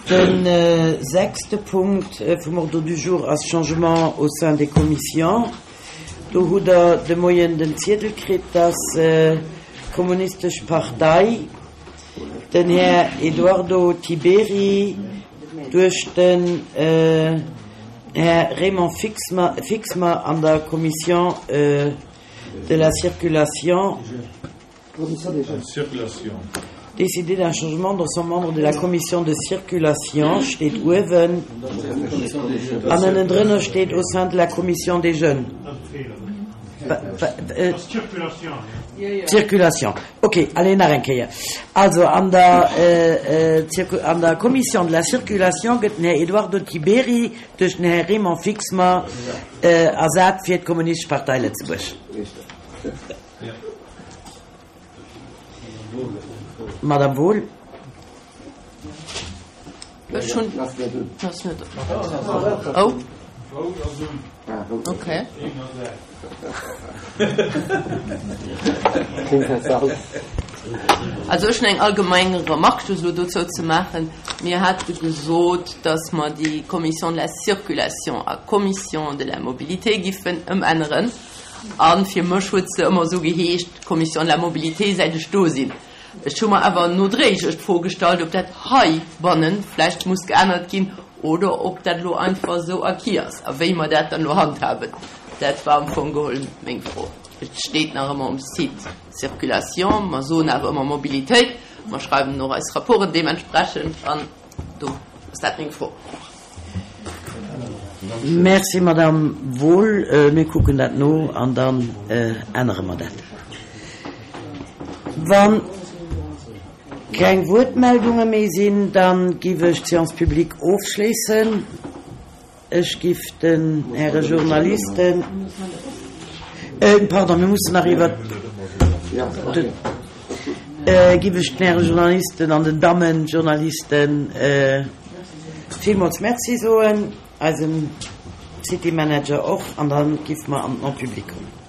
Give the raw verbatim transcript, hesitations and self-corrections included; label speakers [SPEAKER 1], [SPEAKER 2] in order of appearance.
[SPEAKER 1] De sechste Punkt vum Ordre du jour ass Changement au sein des commissions. Do hutt Der de Moien den Ziedel kritt, dass d'Kommunistesch Partei den Här Eduardo Tiberi duerch den Här Raymond Fixmer an der Commission de la circulation décider d'un changement dans son membre de la commission de circulation steet uewen an ënnendrënner steet au sein de la commission des jeunes. Circulation. Ok, allez nach eng Kéier. Also an der, an der Commission de la circulation gëtt den Här Eduardo Tiberi duerch den Här Raymond Fixmer ersat fir d'Kommunistesch Partei Lëtzebuerg. Madame Wohl.
[SPEAKER 2] Ech hunn. Ass net. Oh. Okay. Also ech hunn eng allgemeng Remarque just elo dozou ze maachen. Mir hate gesot, dass mer déi Commission de la circulation a Commission de la mobilité giffen ëmänneren. A fir mech huet se ëmmer esou geheescht, Commission de la mobilité, säit ech do sinn. Ech hu mer awer nodréiglech d'Fro gestallt, ob dat heibanne vläicht muss geännert ginn oder ob dat elo einfach esou acquis ass a wéi mer dat dann elo handhaben. Dat war am Fong geholl meng Fro. Et steet nach ëmmer um Site Circulation, mer soen awer ëmmer Mobilitéit, mer schreiwen och eis Rapporten deementsprechend an do ass dat meng Fro.
[SPEAKER 1] Merci, Madame Wohl. Mir kucken dat no an dann ännere mer dat. Wa keng Wuertmeldunge méi sinn, da giff ech d'Séance publique ofschléissen. Ech giff den Häre Journalisten, pardon, mir mussen nach iwwert de, giff ech den Häre Journalisten an den Dammen Journalisten villmools Merci soen, eisem City Manager och, an da giff mer an d'Non-publique kommen.